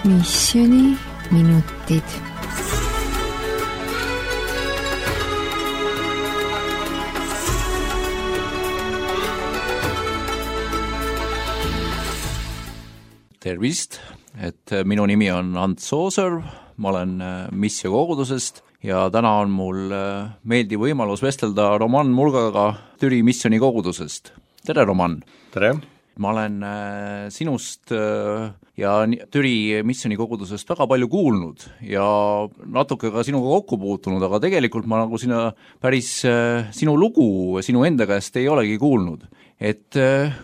Missiooniminutid. Tervist, et minu nimi on Ants Sooser, ma olen Missio kogudusest ja täna on mul meeldiv võimalus vestelda Roman Mulgaga Türi Missioni kogudusest. Tere, Roman! Tere! Ma olen sinust ja Türi Missioni kogudusest väga palju kuulnud ja natuke ka sinuga kokku puutunud, aga tegelikult ma nagu päris sinu lugu sinu enda käest ei olegi kuulnud. Et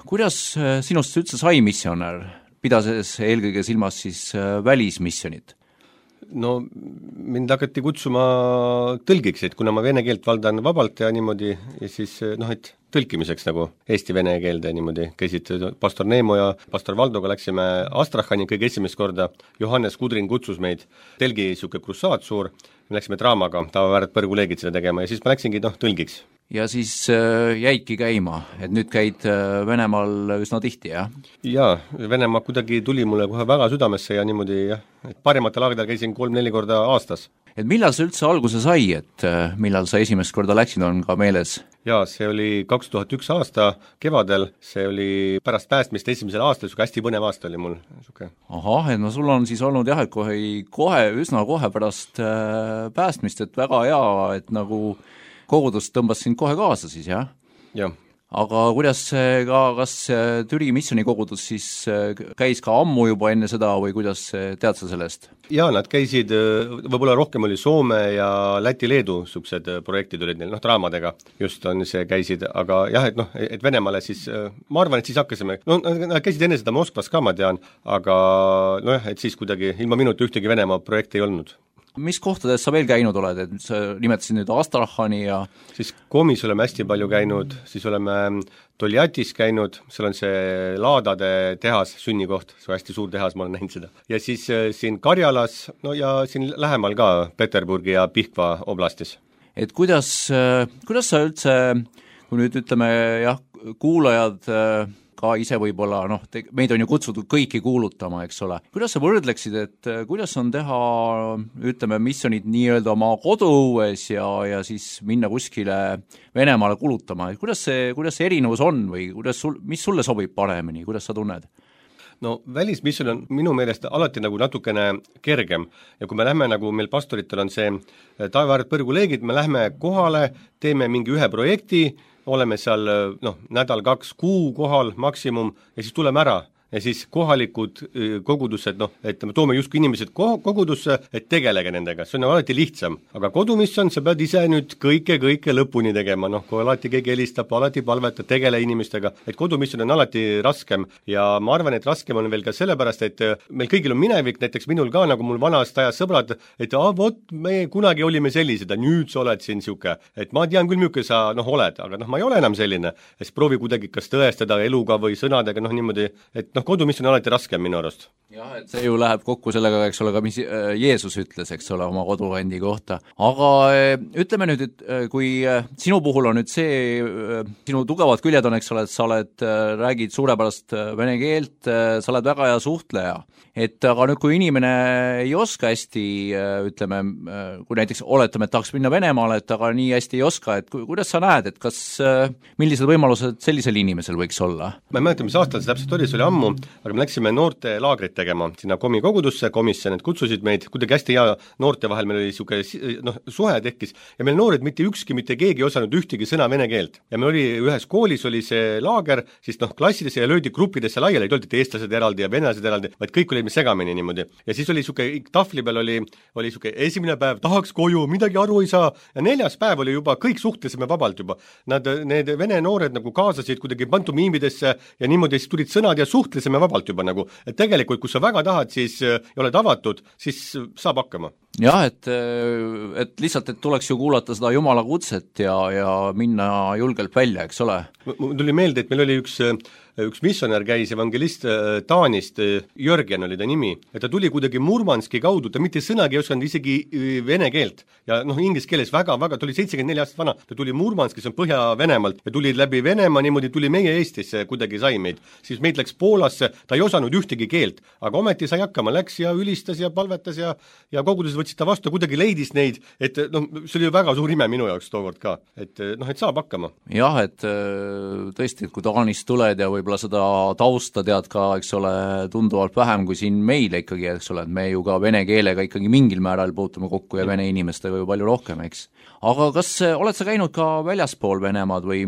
kuidas sinust üldse sai missionär, pidades eelkõige silmas siis välismissionit? No mind hakati kutsuma tõlgiks, et kuna ma vene keelt valdan vabalt ja niimoodi, ja siis et tõlkimiseks nagu eesti-vene keelde niimoodi käisid pastor Neemo ja pastor Valdoga läksime Astrachani kõige esimest korda, Johannes Kudrin kutsus meid, telgi siuke krussaat suur, me läksime draamaga, tavaväärt põrguleegid seda tegema ja siis ma läksingi tõlgiks. Ja siis jäidki käima, et nüüd käid Venemaal üsna tihti, jah? Jaa, Venemaa kuidagi tuli mulle kohe väga südamesse ja niimoodi, jah, et parimatel aegadel käisin 3-4 korda aastas. Et millal see üldse alguse sai, et millal sa esimest korda läksid, on ka meeles? Jaa, see oli 2001 aasta kevadel, see oli pärast päästmist esimesel aastal, hästi põnev aasta oli mul. Ahah, et no sul on siis olnud jah, et üsna kohe pärast päästmist, et väga hea, et nagu kogudus tõmbas sind kohe kaasa siis, jah? Jah. Aga kuidas kas Türi Missioni kogudus siis käis ka ammu juba enne seda või kuidas tead sa sellest? Jaa, nad käisid, võib-olla rohkem oli Soome ja Läti-Leedu suksed projektid olid neil, draamadega just on see käisid, aga jah, et Venemaale siis, ma arvan, et siis hakkasime, nad käisid enne seda Moskvas ka, ma tean, aga et siis kuidagi ilma minuti ühtegi Venemaa projekti ei olnud. Mis kohtades sa veel käinud oled, et sa nimetasid nüüd Astrachani ja siis Komis oleme hästi palju käinud, siis oleme Toljatis käinud, seal on see laadade tehas, sünnikoht, see hästi suur tehas, ma olen näinud seda. Ja siis siin Karjalas, ja siin lähemal ka Peterburgi ja Pihkva oblastis. Et kuidas sa üldse, kui nüüd ütleme jah, kuulajad ka ise võib-olla, meid on ju kutsutud kõiki kuulutama, eks ole. Kuidas sa võrdleksid, et kuidas on teha, ütleme, missionid nii-öelda oma koduõues ja siis minna kuskile Venemaale kulutama, et kuidas see erinevus on või mis sulle sobib paremini, kuidas sa tunned? No välismisjon on minu meelest alati nagu natukene kergem ja kui me lähme nagu meil pastoritel on see tavaväärt põrguleegid, me lähme kohale, teeme mingi ühe projekti, oleme seal nädal 2 kuu kohal maksimum ja siis tuleme ära. Ja siis kohalikud kogudused, et me toome justkui inimesed kogudusse, et tegelege nendega, see on alati lihtsam. Aga kodumisjon, sa pead ise nüüd kõike lõpuni tegema, kui alati keegi helistab, alati palveta, tegele inimestega, et kodumisjon on alati raskem ja ma arvan, et raskem on veel ka sellepärast, et meil kõigil on minevik, näiteks minul ka, nagu mul vanast ajas sõbrad, et me kunagi olime sellised ja nüüd sa oled siin siuke, et ma tean küll, milline sa oled, aga ma ei ole enam selline, siis proovi kuidagi kas tõestada eluga või sõnadega, niimoodi, et kodumisjon on alati raskem minu arust. Jah, et see ju läheb kokku sellega, eks ole, ka mis Jeesus ütles, eks ole, oma koduendi kohta. Aga ütleme nüüd, et kui sinu puhul on nüüd see, sinu tugevad küljed on, eks ole, et sa räägid suurepärast vene keelt, sa oled väga hea suhtleja. Et aga nüüd, kui inimene ei oska hästi, ütleme, kui näiteks oletame, et tahaks minna Venemaale, et aga nii hästi ei oska, et kuidas sa näed, et millised võimalused sellisel inimesel võiks olla? Ma ei mäleta, mis aastal see täpselt oli, see oli ammu, aga me läksime noorte laagrit tegema sinna Komi kogudusse, komisjon, et kutsusid meid, kuidagi hästi hea noorte vahel, meil oli siuke suhe tekkis ja meil noored mitte keegi ei osanud ühtegi sõna vene keelt. Ja meil oli ühes koolis oli see laager, siis klassidesse ja löödi gruppidesse laiali, ei olnud eestlased eraldi ja venelased eraldi, vaid kõik olime segamini niimoodi. Ja siis oli siuke tahvli peal oli siuke esimene päev, tahaks koju, midagi aru ei saa ja 4. päev oli juba, kõik suhtlesime vabalt juba. Need vene noored nagu kaasasid kuidagi pantomiimidesse ja niimoodi siis tulid sõnad ja suhtlesime vabalt juba nagu, et tegelikult kui sa väga tahad, siis ja oled avatud, siis saab hakkama. Jah, et lihtsalt, et tuleks ju kuulata seda Jumala kutset ja minna julgelt välja, eks ole? Mul tuli meelde, et meil oli üks üks missionär käis, evangelist Taanist, Jörgen oli ta nimi, et ta tuli kuidagi Murmanski kaudu, ta mitte sõnagi ei osanud isegi vene keelt ja inglise keeles väga-väga, ta oli 74 aastat vana, ta tuli Murmanski, see on Põhja-Venemaalt ja tuli läbi Venemaa, niimoodi tuli meie Eestisse, kuidagi sai meid. Siis meid läks Poolasse, ta ei osanud ühtegi keelt, aga ometi sai hakkama, läks ja ülistas ja palvetas ja koguduses võtsid ta vastu, kuidagi leidis neid, et see oli ju väga suur ime minu jaoks tookord ka, et saab hakkama. Jah, et tõesti, et kui Taanist tuled ja võib-olla seda tausta tead ka, eks ole, tunduvalt vähem kui siin meile ikkagi, eks ole, et me ju ka vene keelega ikkagi mingil määral puutume kokku ja vene inimestega ju palju rohkem, eks. Aga kas oled sa käinud ka väljaspool Venemaad või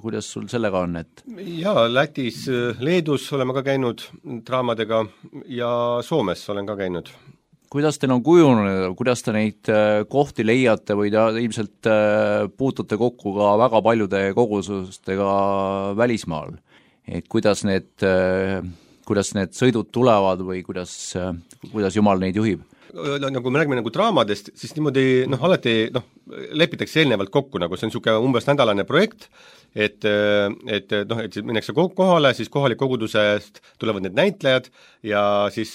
kuidas sul sellega on, et? Jaa, Lätis, Leedus oleme ka käinud draamadega ja Soomes olen ka käinud. Kuidas teil on kujunenud, kuidas te neid kohti leiate või te ilmselt puutute kokku ka väga paljude kogusustega välismaal? Et kuidas need sõidud tulevad või kuidas Jumal neid juhib? Nagu me räägime draamadest, siis niimoodi alati lepitakse eelnevalt kokku, nagu see on niisugune umbes nädalane projekt, et minnakse kohale, siis kohalik kogudusest tulevad need näitlejad ja siis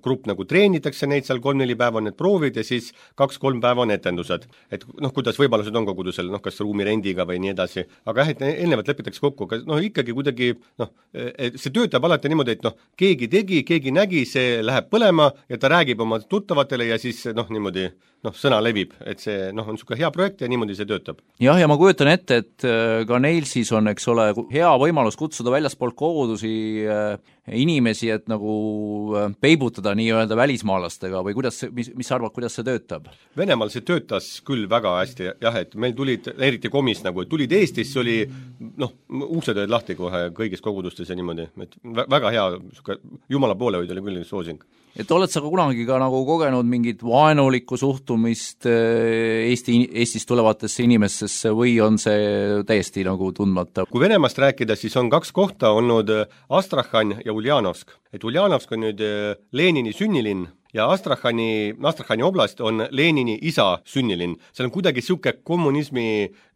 grupp treenitakse neid seal 3-4 päeva on need proovid ja siis 2-3 päeva on etendused. Et kuidas võimalused on kogudusel, kas ruumirendiga või nii edasi, aga et eelnevalt lepitakse kokku, aga ikkagi kuidagi see töötab alati niimoodi, et keegi tegi, keegi nägi, see läheb põlema ja ta räägib oma tuttavatele ja siis niimoodi sõna levib, et see on niisugune hea projekt ja niimoodi see töötab. Jah, ja ma kujutan ette, et ka neil siis on, eks ole, hea võimalus kutsuda väljaspoolt kogudusi inimesi, et nagu peibutada nii-öelda välismaalastega või mis sa arvad, kuidas see töötab? Venemaal see töötas küll väga hästi, jah, et meil tulid, eriti komis et tulid Eestisse, oli uksed olid lahti kohe kõigis kogudustes ja niimoodi, et väga hea, Jumala poolehoid oli küll soosing. Et oled sa kunagi ka nagu kogenud mingit vaenulikku suhtumist Eestist tulevatesse inimestesse või on see täiesti nagu tundmata? Kui Venemaast rääkida, siis on 2 kohta olnud Astrahhan ja Uljanovsk. Et Uljanovsk on nüüd Lenini sünnilinn ja Astrahhani oblast on Lenini isa sünnilinn. Seal on kuidagi niisugune kommunismi,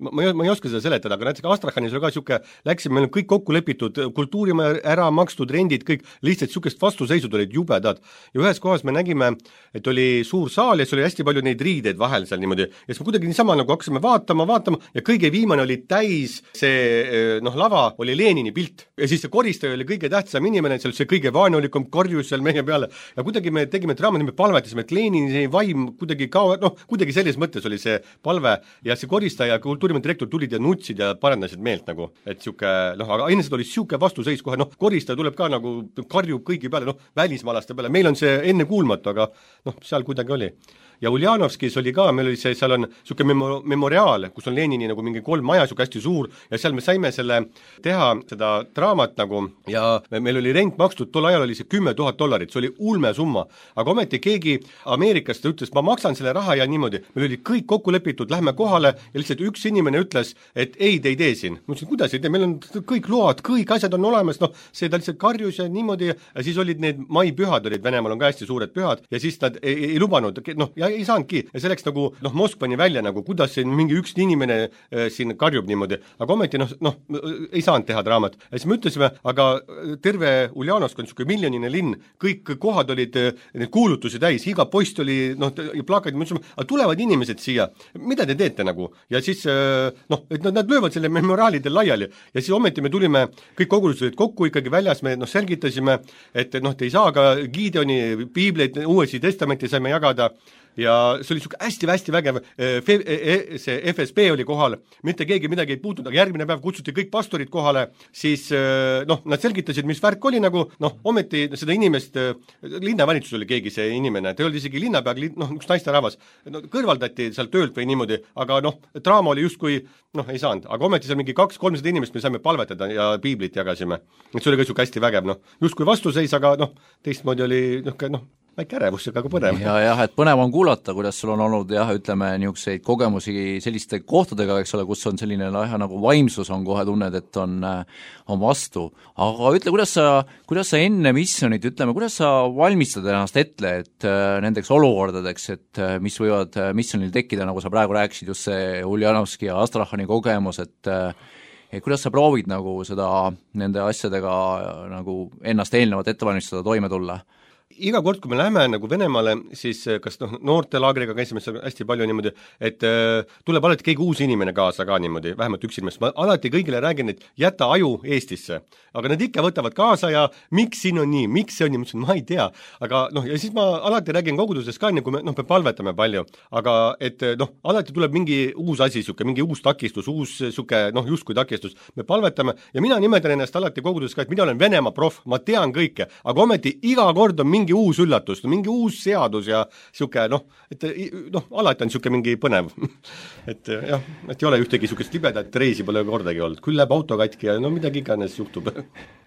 ma ei oska seda seletada, aga näiteks Astrahhanis oli ka niisugune, läksime, meil on kõik kokku lepitud, kultuurimaja ära makstud, rendid, kõik, lihtsalt niisugust vastuseisud olid jubedad. Ja ühes kohas me nägime, et oli suur saal ja siis oli hästi palju neid riideid vahel seal niimoodi. Ja siis me kuidagi niisama nagu hakkasime vaatama ja kõige viimane oli täis, see lava oli Lenini pilt. Ja siis see koristaja oli kõige tähtsam inimene, seal see kõige vaenulikum korjus seal meie peale. Ja kuidagi me tegime me palvetasime, et Lenini vaim kuidagi kuidagi selles mõttes oli see palve ja see koristaja ja kultuurimaja direktor tulid ja nutsid ja parendasid meelt nagu, et siuke, aga ennesed oli siuke vastuseis kohe, koristaja tuleb ka nagu, karjub kõigi peale, välismaalaste peale, meil on see enne kuulmatu, aga seal kuidagi oli. Ja Uljanovskis oli ka, meil oli see, seal on siuke memoriaal, kus on Lenini nagu mingi 3 maja, siuke hästi suur ja seal me saime selle teha seda draamat nagu ja meil oli rent makstud, tol ajal oli see $10,000, see oli ulme summa, aga ometi keegi Ameerikast ütles, ma maksan selle raha ja niimoodi, meil oli kõik kokku lepitud, lähme kohale ja lihtsalt üks inimene ütles, et ei, te ei tee siin. Ma ütlesin, kuidas ei tee, meil on kõik load, kõik asjad on olemas, see ta lihtsalt karjus ja niimoodi ja siis olid need maipühad olid, Venemaal on ka hästi suured pühad ja siis nad ei lubanud, ja ei saanudki ja selleks nagu Moskvani välja nagu, kuidas siin mingi üks inimene siin karjub niimoodi, aga ometi ei saanud teha draamat. Ja siis me ütlesime, aga terve Uljanovsk on niisugune miljonine linn, kõik kohad olid need kuulutusi täis, iga post oli plakad, me ütlesime, aga tulevad inimesed siia, mida te teete nagu? Ja siis et nad löövad selle memoriaalidel laiali ja siis ometi me tulime, kõik kogudused kokku ikkagi väljas, me selgitasime, et te ei saa ka Gideoni piibleid, Uuesti testamenti saime jagada ja see oli hästi vägev, see FSB oli kohal, mitte keegi midagi ei puutunud, aga järgmine päev kutsuti kõik pastorid kohale, siis nad selgitasid, mis värk oli nagu, ometi seda inimest, linnavalitsus oli keegi see inimene, ta ei olnud isegi linnapea, üks naisterahvas, kõrvaldati seal töölt või niimoodi, aga draama oli justkui, ei saanud, aga ometi seal mingi 200-300 inimest me saime palvetada ja piiblit jagasime, et see oli ka niisugune hästi vägev, justkui vastuseis, aga teistmoodi oli väike ärevus, aga põnev. Jah, et põnev on kuulata, kuidas sul on olnud ütleme, niisuguseid kogemusi selliste kohtadega, eks ole, kus on selline nagu vaimsus on kohe tunned, et on vastu. Aga ütle, kuidas sa enne missionit, ütleme, kuidas sa valmistad ennast ette, et nendeks olukordadeks, et mis võivad missionil tekkida, nagu sa praegu rääkisid, just see Uljanovski ja Astrahhani kogemus, et kuidas sa proovid nagu seda nende asjadega nagu ennast eelnevalt ette valmistada, toime tulla? Iga kord, kui me läheme nagu Venemaale, siis kas noortelaagriga käisime seal hästi palju niimoodi, et tuleb alati keegi uus inimene kaasa ka niimoodi, vähemalt üks inimest. Ma alati kõigile räägin, et jäta aju Eestisse. Aga nad ikka võtavad kaasa ja miks siin on nii, miks see on nii, ma ei tea. Aga ja siis ma alati räägin koguduses ka, kui me palvetame palju, aga et alati tuleb mingi uus asi, mingi uus takistus, uus justkui takistus. Me palvetame ja mina nimetan ennast alati koguduses ka, et mina olen Venemaa prof, ma tean kõike, aga ometi iga kord on mingi uus üllatus, mingi uus seadus ja siuke, alati on siuke mingi põnev. et jah, et ei ole ühtegi siukest libedat reisi pole kordagi olnud, küll läheb auto katki ja midagi iganes juhtub.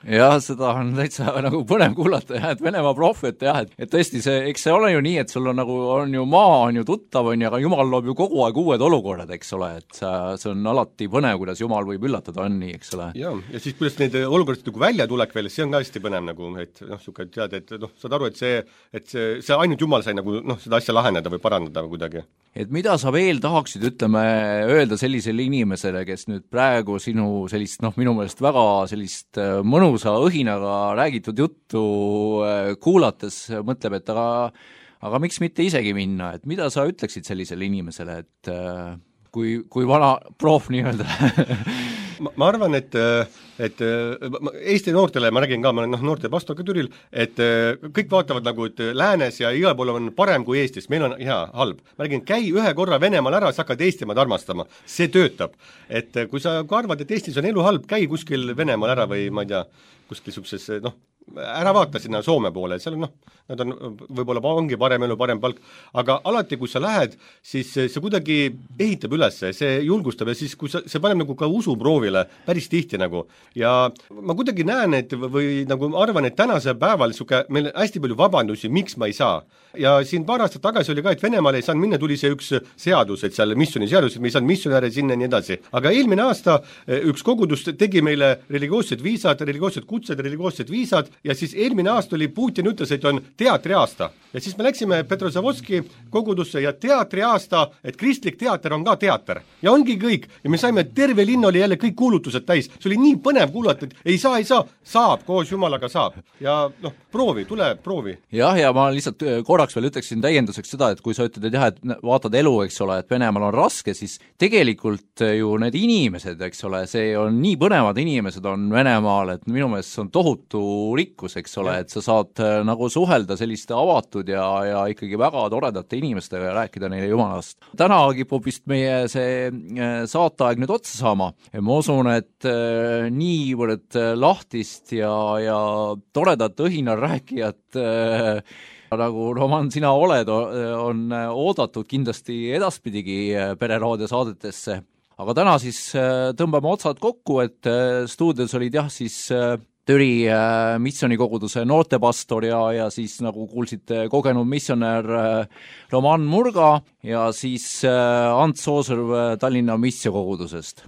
jah, seda on täitsa nagu põnev kuulata jah, et Venemaa prof, et jah, et tõesti eks see ole ju nii, et sul on nagu, on ju maa, on ju tuttav, on ju, aga Jumal loob ju kogu aeg uued olukorrad, eks ole, et see on alati põnev, kuidas Jumal võib üllatada, on nii, eks ole. ja siis kuidas neid olukorrad nagu välja tulek veel, see on ka hästi põnev nagu, et siuke tead, et saad aru, et see ainult Jumal sai nagu seda asja laheneda või parandada või kuidagi. Et mida sa veel tahaksid, ütleme, öelda sellisele inimesele, kes nüüd praegu sinu sellist, minu meelest väga sellist mõnusa õhinaga räägitud juttu kuulates mõtleb, et aga miks mitte isegi minna, et mida sa ütleksid sellisele inimesele, et kui vana proov nii-öelda ma arvan, et Eesti noortele, ma räägin ka, ma olen noorte pastor ka Türil, et kõik vaatavad nagu, et läänes ja igal pool on parem kui Eestis, meil on hea, halb. Ma räägin, käi ühe korra Venemaal ära, sa hakkad Eestimaad armastama, see töötab. Et kui sa arvad, et Eestis on elu halb, käi kuskil Venemaal ära või ma ei tea, kuskil sukses, ära vaata sinna Soome poole, seal on nad on, võib-olla ongi parem elu, parem palk, aga alati, kui sa lähed, siis see kuidagi ehitab üles, see julgustab ja siis, kui see paneb nagu ka usuproovile päris tihti nagu. Ja ma kuidagi näen, et või nagu arvan, et tänase päeval meil hästi palju vabandusi, miks ma ei saa. Ja siin paar aastat tagasi oli ka, et Venemaal ei saanud minna, tuli see üks seadus, et seal missiooni seadus, et me ei saanud missionäre sinna ja nii edasi. Aga eelmine aasta üks kogudus tegi meile religioossed viisad, religioossed kutsed, religioossed viisad ja siis eelmine aasta oli Putin ütles, et on teatriaasta. Ja siis me läksime Petrozavodski kogudusse ja teatriaasta, et kristlik teater on ka teater. Ja ongi kõik. Ja me saime, terve linn oli jälle kõik kuulutused täis. See oli nii põnev kuulata, et ei saa, saab, koos Jumalaga saab. Ja proovi, tule proovi. Jah, ja ma lihtsalt korraks veel ütleksin täienduseks seda, et kui sa ütled, et jah, et vaatad elu, eks ole, et Venemaal on raske, siis tegelikult ju need inimesed, eks ole, see on nii põnevad inimesed on Venemaal, et minu meelest see on tohutu rikkus, eks ole, et sa saad nagu suhelda selliste avatud ja ikkagi väga toredate inimestega ja rääkida neile Jumalast. Täna kipub vist meie see saateaeg nüüd otsa saama. Ma usun, et niivõrd lahtist ja toredat õhinal rääkijat nagu Roman, sina oled, on oodatud kindlasti edaspidigi Pereraadio saadetesse. Aga täna siis tõmbame otsad kokku, et stuudios olid jah siis Türi missionikoguduse noortepastor ja siis nagu kuulsite kogenud missionär Roman Murga ja siis Ants Sooserv Tallinna missiokogudusest.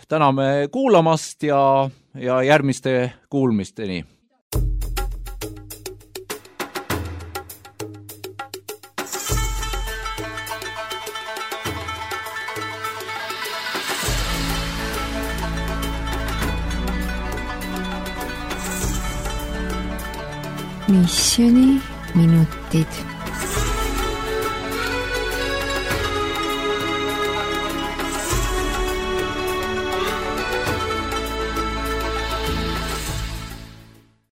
Täname kuulamast ja järgmiste kuulmisteni. Missioniminutid.